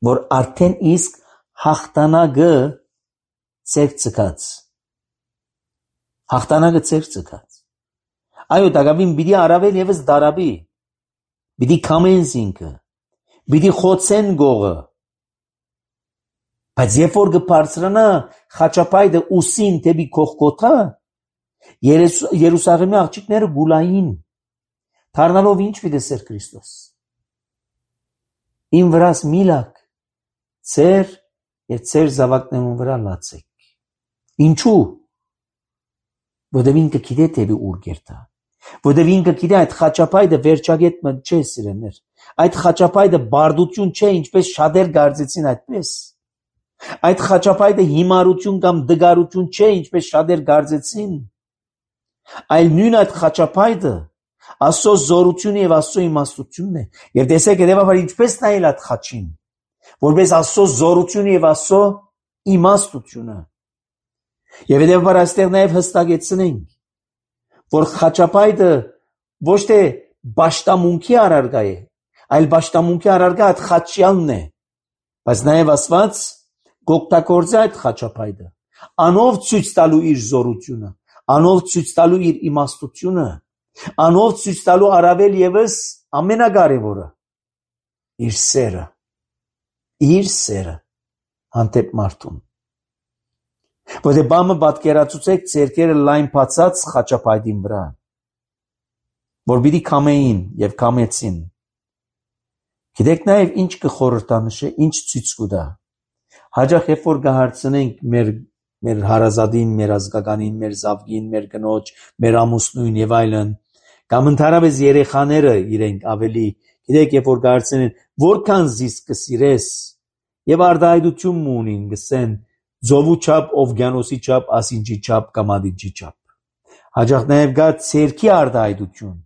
[SPEAKER 1] որ արդեն իսկ հաղթանակը ծեր ցկած։ Հաղթանակը ծեր ցկած։ Այո, դակավին պիտի արավել եւս դարաբի, պիտի քամեն զինքը, պիտի խոցեն գողը, բայց երբ որ կբարձրանա խաչապայտը ուսին դեպի Գողգոթա, Երուսաղեմի աղջիկները գուլային, դառնալով ինչ պիտի ասեր Քրիստոս։ Իմ վրաս միլակ, ծեր եւ ծեր զավակներուն վրա լացեք։ Ինչու՞։ Որտեղ ինքը գիտե դեպի ուր գերտա։ Որտեղ ինքը գիտե այդ խաչապայտը վերջագետը չէ սիրելներ։ Այդ խաչապայտը բարդություն չէ, ինչպես շատեր կարծեցին այդպես։ Այդ խաչապայտը հիմարություն կամ դգարություն չէ, ինչպես շատեր կարծեցին։ Այլ նույն այդ խաչապայտը Աստծո զորությունը եւ Աստծո իմաստությունն է։ Եվ տեսեք, հետեւաբար ինչպես նայել այդ խաչին, որպես Աստծո զորությունը եւ Աստծո իմաստությունը։ Եվ հետեւաբար այստեղ նաեւ հստակեցնենք, որ խաչապայտը ոչ թե բաշտամունքի առարգա է, այլ բաշտամունքի առարգա այդ խաչյալն է, բայց նաեւ Աստված կօգտագործի այդ խաչապայտը, անով ցույց տալու իր զորությունը, անով ցույց տալու իր իմաստությունը, անով ցույց տալու առավել եւս ամենակարևորը իր սերը, իր սերը հանդեպ մարդուն։ Որտե բամը պատկերացուցեք ձերքերը լայն բացած խաչապայտին վրա, որ պիտի քամեին եւ քամեցին։ Գիտեք նաև ինչ կխորհրդանշե, ինչ ցույց կտա։ Հաճախ երբ որ կհարցնենք մեր մեր հարազատին, մեր ազգականին, մեր զավգին, մեր կնոջ, մեր ամուսնուին եւ այլն, կամ ընդհանրապես երեխաները իրենք ավելի, գիտեք, երբ որ կհարցնեն, որքան զիս կսիրես, եւ արտահայտություն ունին, գսեն ծովու չափ, օվկիանոսի չափ, ասինջի չափ կամ ադիջի չափ։ Հաճախ նաև կա ցերքի արտահայտություն,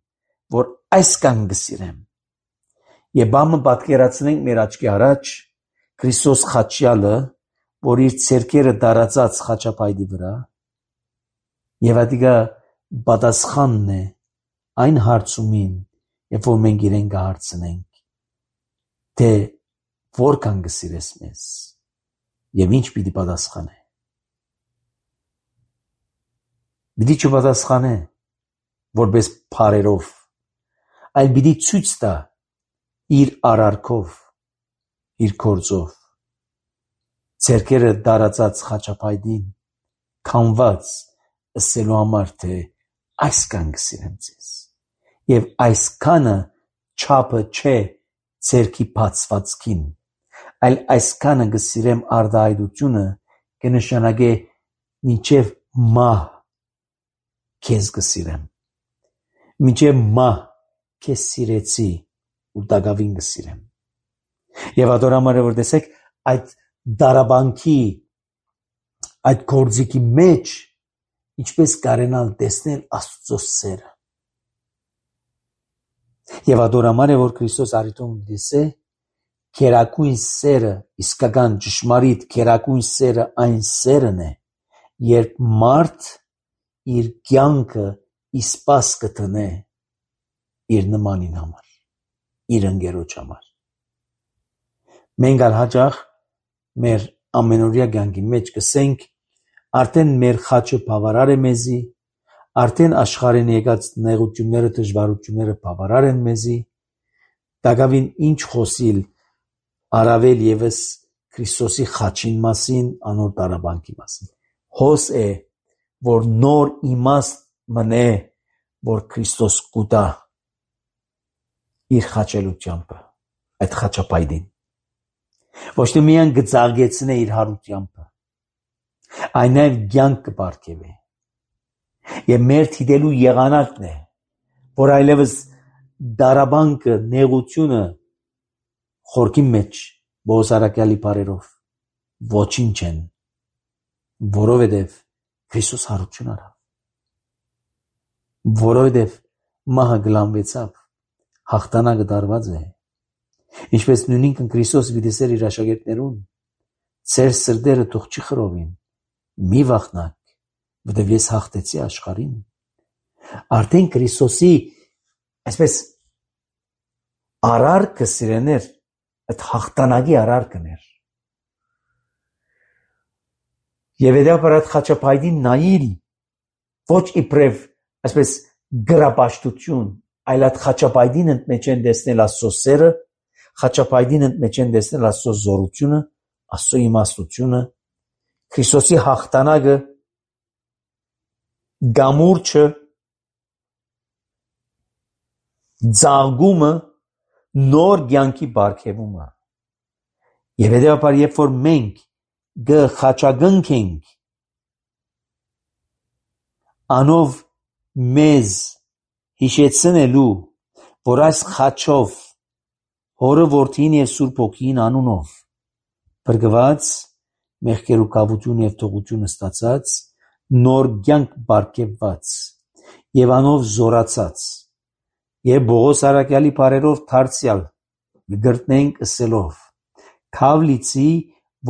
[SPEAKER 1] որ այսքան կսիրեմ։ Եվ բամը պատկերացնենք մեր աչքի առաջ Քրիստոս խաչյալը, որ իր ցերքերը դարածած խաչապայտի վրա, եւ ադիգա պատասխանն է այն հարցումին, երբ որ մենք իրեն կհարցնենք, թե որքան կսիրես մեզ, եւ ինչ պիտի պատասխանե։ Պիտի չպատասխանե որպես փարերով, այլ պիտի ցույց տա իր արարքով, իր գործով, ցերքերը դարածած խաչապայտին քանված ըսելու համար, թե այսքան կսիրեմ ձեզ, եւ այսքանը չափը չէ ցերքի բացվածքին, այլ այսքանը կսիրեմ արտահայտությունը կնշանակե մինչև մահ քեզ կսիրեմ, մինչև մահ քեզ սիրեցի ու դակավին կսիրեմ։ Եվ ադորամարը որ տեսեք այդ դարաբանքի, այդ գործիքի մեջ ինչպես կարենալ տեսնել Աստծո սերը։ Եվ ադորամարը որ Քրիստոս արիտում դիսե, քերակույն սերը, իսկական ճշմարիտ քերակույն սերը այն սերն է, երբ մարդ իր կյանքը իսպաս կտնե իր նմանին համար, իր ընկերոջ համար։ Մենք ալ հաճախ մեր ամենօրյա կյանքի մեջ կսենք, արդեն մեր խաչը բավարար է մեզի, արդեն աշխարհին եկած նեղությունները, դժվարությունները բավարար են մեզի, դակավին ինչ խոսիլ առավել եւս Քրիստոսի խաչին մասին, անոր դարաբանքի մասին։ Հոս է, որ նոր իմաստ մնե, որ Քրիստոս կուտա իր խաչելությամբ, այդ խաչապայտին։ Ոչ թե միայն կծաղկեցնե իր հարությամբ, այն նաև կյանք կպարգևե։ Եվ մեր թիդելու եղանակն է, որ այլևս դարաբանքը, նեղությունը խորքի մեջ Բոհոզարակյալի բարերով ոչինչ են, որովհետև Քրիստոս հարություն արավ, որովհետև մահը գլանվեցավ, հաղթանակը դարված է, ինչպես նույնինքն Քրիստոս վիդեսեր իր աշակերտներուն, ծեր սրտերը թող չի խռովին, մի վախնակ, որտև ես հաղթեցի աշխարհին։ Արդեն Քրիստոսի այսպես արարքը սիրեներ, այդ հաղթանակի արարքն էր։ Եվ հետապար այդ խաչապայտին նայիլ, ոչ իբրև այսպես գրապաշտություն, այլ այդ խաչապայտին ընդմեջ են տեսնել Աստծո սերը, խաչապայտին ընդմեջ են տեսնել Աստծո զորությունը, Աստծո իմաստությունը, Քրիստոսի հաղթանակը, գամուրջը, ծաղկումը, նոր կյանքի բարգեւումը։ Եվ հետեւաբար երբ որ մենք գխաչագնքենք անով մեզ հիշեցնելու, որ այս խաչով Հորը Որդին եւ Սուրբ Հոգին անունով բրգված մեղքեր ու կավություն եւ թողություն ստացած նոր կյանք բարգեւված եւ անով զորացած եւ Բողոս Արաքյալի բարերով դարձյալ գրտնենք ըսելով Քավլիցի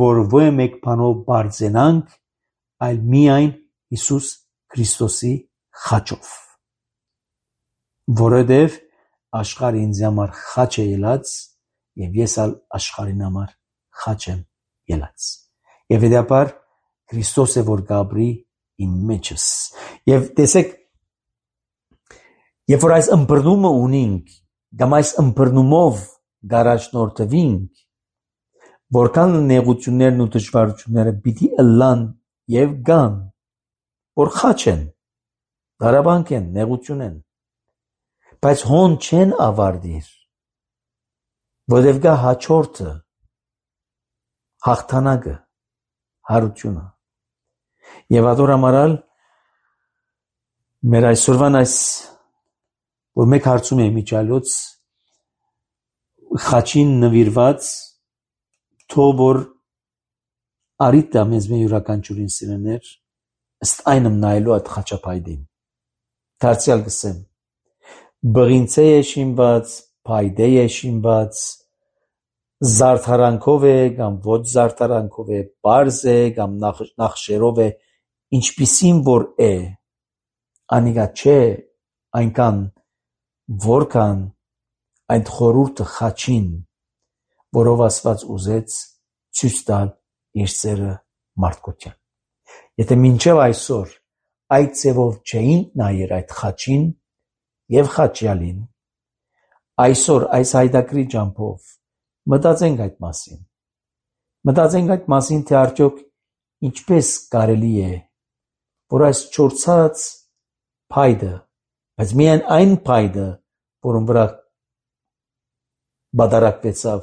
[SPEAKER 1] որ ոչ մեկ բանով բարձենանք այլ միայն Հիսուս Քրիստոսի խաչով որովհետեւ աշխարհը ինձ համար խաչ է ելած եւ ես ալ աշխարհին համար խաչ եմ ելած եւ հետապար Քրիստոս է որ գաբրի իմ մեջս եւ տեսեք երբ որ այս ըմբռնումը ունենք կամ այս ըմբռնումով գարաժնորդվենք որքան նեղություններն ու դժվարությունները պիտի ըլլան եւ գան որ խաչ են դարաբանք են նեղություն են բայց հոն չեն ավարտիր Որովհետև գա հաջորդը, հաղթանակը, հարությունը։ Եվ ադոր ամարալ մեր այսօրվան այս, որ մեկ հարցում է միջալոց, խաչին նվիրված, թող որ արիտ դա մեզ մեր յուրաքանչյուրին սիրեներ, ըստ այնմ նայելու այդ խաչապայդին։ Դարձյալ գսեմ, բղինցե է շինված, փայդե է շինված, զարդարանքով է կամ ոչ զարդարանքով է, պարզ է կամ նախշերով է, ինչպիսին որ է, անիկա չէ այնքան որքան այդ խորուրդը խաչին, որով Աստված ուզեց ցույց տալ իր սերը մարդկության։ Եթե մինչև այսօր այդ ձևով չէին նայեր այդ խաչին եւ խաչյալին, այսօր այս հայդակրի ջամփով մտածենք այդ մասին։ Մտածենք այդ մասին, թե արդյոք ինչպես կարելի է, որ այս չորցած փայդը, բայց միայն այն փայդը, որում վրա բادرակվեցավ,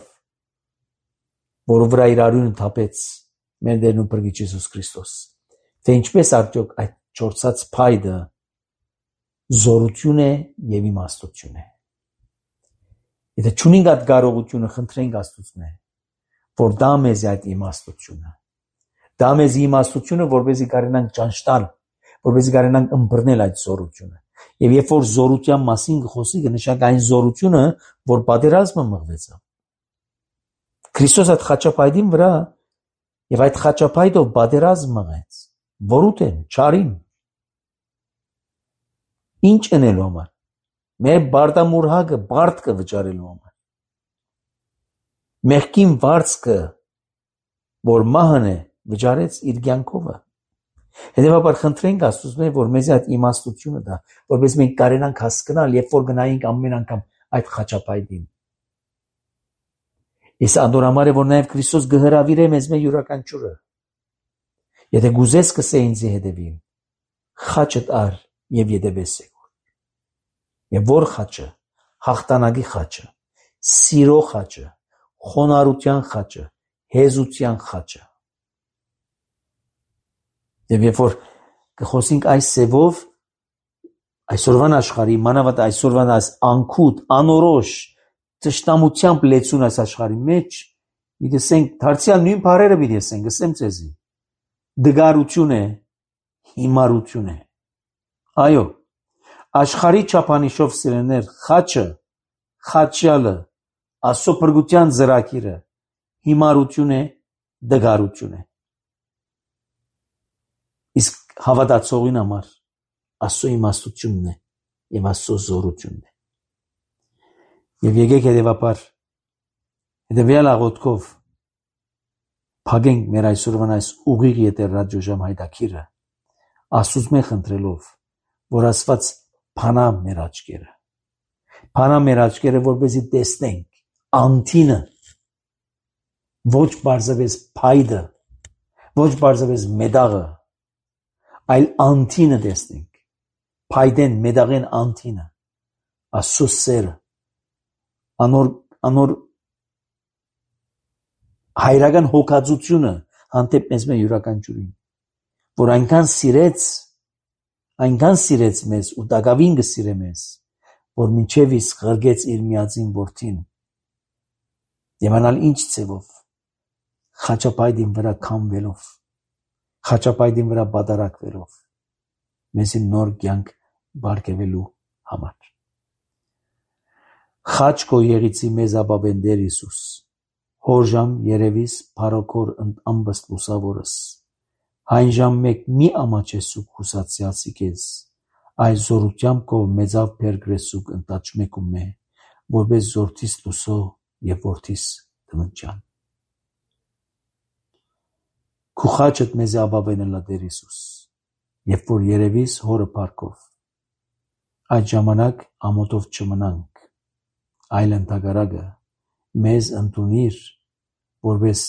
[SPEAKER 1] որում վրա իր արյունը թափեց մեր Տերն ու Փրկիչ Հիսուս Քրիստոս, թե ինչպես արդյոք այդ չորցած փայդը զորություն է եւ իմաստություն է։ Եթե չունենք այդ կարողությունը, խնդրենք Աստծունե, որ դա մեզ այդ իմաստությունը, դա մեզ իմաստությունը, որպեսզի կարողանանք ճանճ տալ, որպեսզի կարողանանք ըմբռնել այդ զորությունը։ Եվ երբ որ զորության մասին խոսի, կնշանակի այն զորությունը, որ պատերազմը մղվեցավ։ Քրիստոս այդ խաչապայդին վրա եւ այդ խաչապայդով պատերազմ մղեց։ Որուտեն, չարին։ Ինչ անելու համար։ Մեր բարդամուրհակը, բարդկը վճարելու համար։ Մեղքին վարձքը, որ մահն է, վճարեց իր կյանքովը։ Հետևաբար խնդրենք Աստծուց, որ մեզ այդ իմաստությունը տա, որպես մենք կարենանք հասկանալ, երբ որ գնայինք ամեն անգամ այդ խաչապայդին։ Ես անդորամար է, որ նաև Քրիստոս գհրավիրե մեզ մեր յուրաքանչյուրը։ Եթե գուզես կսե ինձի հետևին, խաչդ առ եւ ետևես եկուր։ Եվ որ խաչը, հաղթանակի խաչը, սիրո խաչը, խոնարհության խաչը, հեզության խաչը։ Եվ երբ որ կխոսենք այս սևով, այսօրվան աշխարհի, մանավանդ այսօրվան այս անքուտ, անորոշ, ճշտամությամբ լեցուն այս աշխարհի մեջ, մի դեսենք, դարձյալ նույն բառերը մի դեսենք, ասեմ ձեզի, դգարություն է, հիմարություն է։ Այո, աշխարհի չափանիշով սիրեներ, խաչը, խաչյալը, Աստծո փրկության ծրագիրը, հիմարություն է, դգարություն է։ Իսկ հավատացողին համար Աստծո իմաստությունն է եւ Աստծո զորությունն է։ Եվ եկեք հետևաբար հետևյալ աղոթքով փագենք մեր այսօրվան այս ուղիղ եթեր ռադիոժամ հայտակիրը, Աստծուց մենք խնդրելով, որ Աստված փանա մեր աչքերը, փանա մեր աչքերը, որպեսզի տեսնենք անտինը, ոչ բարձրապես փայդը, ոչ բարձրապես մեդաղը, այլ անտինը տեսնենք, փայդեն, մեդաղեն անտինը, Աստծո սերը, անոր, անոր հայրական հոգածությունը հանդեպ մեզ մեր յուրաքանչյուրին, որ այնքան սիրեց, այնքան սիրեց մեզ ու դակավին կսիրե մեզ, որ մինչև իսկ ղրգեց իր միածին որդին, եւ անալ ինչ ձևով, խաչապայդին վրա քամվելով, խաչապայդին վրա բادرակվելով, մեզի նոր կյանք բարգեւելու համար։ Խաչ քո եղիցի մեզ ապավեն Տեր Հիսուս, հորժամ երևիս փարոքոր ամբստ լուսավորս, այն ժամ մեկ մի ամաչեսուկ հուսացյալսի կեզ, այս զորությամբ կով մեծավ պերգրեսուկ ընտաչ մեկում է, որպես զորթիս լուսո եւ որդիս դմնջան։ Քու խաչդ մեզ ապավենը լա Տեր Հիսուս, երբ որ երևիս հորը փառքով, այդ ժամանակ ամոթով չմնանք, այլ ընդհակառակը մեզ ընդունիր, որպես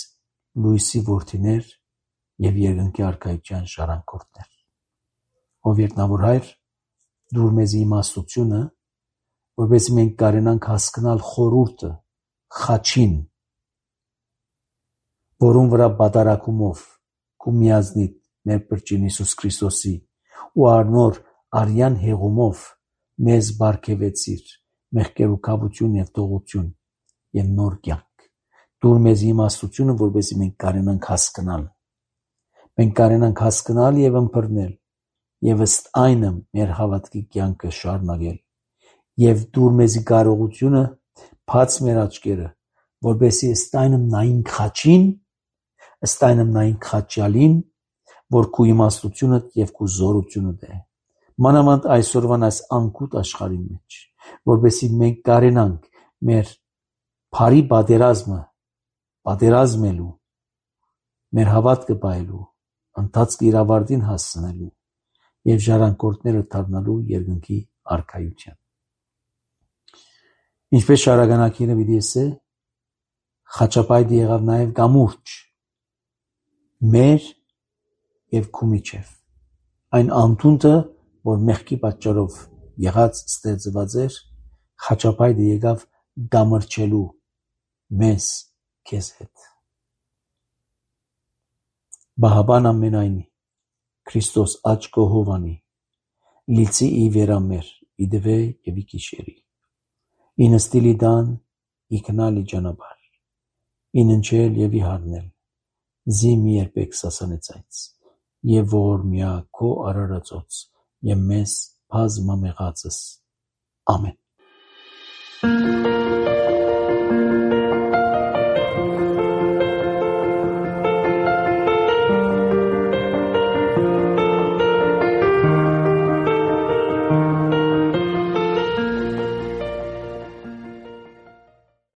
[SPEAKER 1] լույսի որդիներ եւ երկնքի արքայության շարանկորդներ։ Ով երկնավոր Հայր, դուր մեզ իմաստությունը, որպես մենք կարենանք հասկանալ խորուրդը,
[SPEAKER 2] խաչին, որում վրա բադարակումով կու միազնիտ մեր պրճին Հիսուս Քրիստոսի ու արնոր արյան հեղումով մեզ բարգևեցիր մեղքեր ու կավություն և տողություն և նոր կյանք։ Դուր մեզ իմաստությունը, որպեսզի մենք կարենանք հասկանալ։ Մենք կարենանք հասկանալ և ըմբռնել և ըստ այնը մեր հավատքի կյանքը շարունակել և դուր մեզի կարողությունը բաց մեր աչքերը, որպեսզի ըստ այնը նայենք խաչին, ըստ այնը նայենք խաչյալին, որ քու իմաստությունը և քու զորությունը է։ Մանավանդ այսօրվան այս անկուտ աշխարհի մեջ, որպեսզի մենք կարենանք մեր բարի պատերազմը պատերազմելու, մեր հավատքը պահելու, ընթացքը իր ավարտին հասցնելու և ժառանգորդները դառնալու երկնքի արքայության։ Ինչպես շարականակիրը պիտի ասե, խաչապայտը եղավ նաև կամուրջ մեր և քու միջև։ Այն անդունդը, որ մեղքի պատճառով եղած ստեղծված էր, խաչապայտը եկավ կամրջելու մեզ քեզ հետ։ Բահաբան ամենայնի Քրիստոս աջ կողովանի լիցի ի վերամեր ի դվե և ի կիշերի ի նստիլի դան ի քնալի ճանապար ի ննչել և ի հարնել զի մի երբեք սասանեցայց և ողորմյա քո արարածոց և մեզ բազմամեղածս ամեն